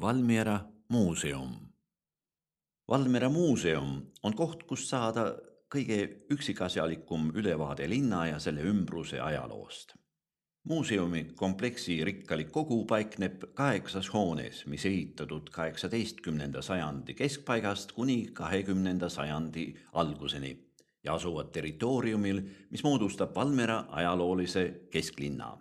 Valmiera muuseum. Valmiera muuseum on koht, kus saada kõige üksikasjalikum ülevaade linna ja selle ümbruse ajaloost. Muuseumi kompleksi rikkalik kogu paikneb 8 hoones, mis ehitatud 18. sajandi keskpaigast kuni 20. sajandi alguseni ja asuvad territooriumil, mis moodustab Valmiera ajaloolise kesklinna.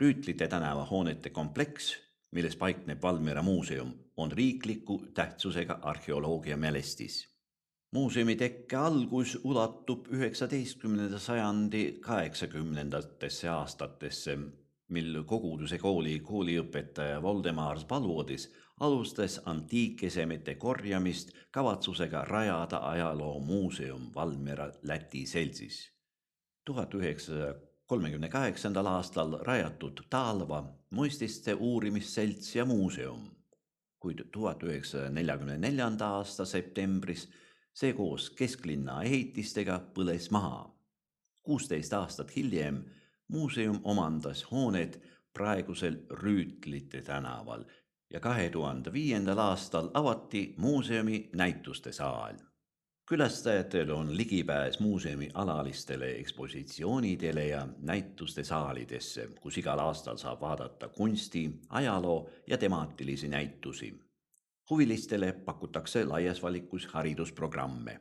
Rüütlite tänava hoonete kompleks, milles paikneb Valmiera muuseum, on riikliku tähtsusega arheoloogiamälestis. Muuseumi tekke algus ulatub 19. sajandi 80. aastatesse, mil Koguduse kooli kooliõpetaja Voldemar Balvodis alustas antiikesemete korjamist kavatsusega rajada ajaloomuuseum Valmiera Läti seltsis. 1938. aastal rajatud Talva muististe uurimisselts ja muuseum, kuid 1944. aasta septembris see koos kesklinna ehitistega põles maha. 16 aastat hiljem muuseum omandas hooned praegusel Rüütlite tänaval ja 2005. aastal avati muuseumi näituste saal. Külastajatel on ligipääs muuseumi alalistele ekspositsioonidele ja näituste saalidesse, kus igal aastal saab vaadata kunsti, ajaloo ja temaatilisi näitusi. Huvilistele pakutakse laias valikus haridusprogramme.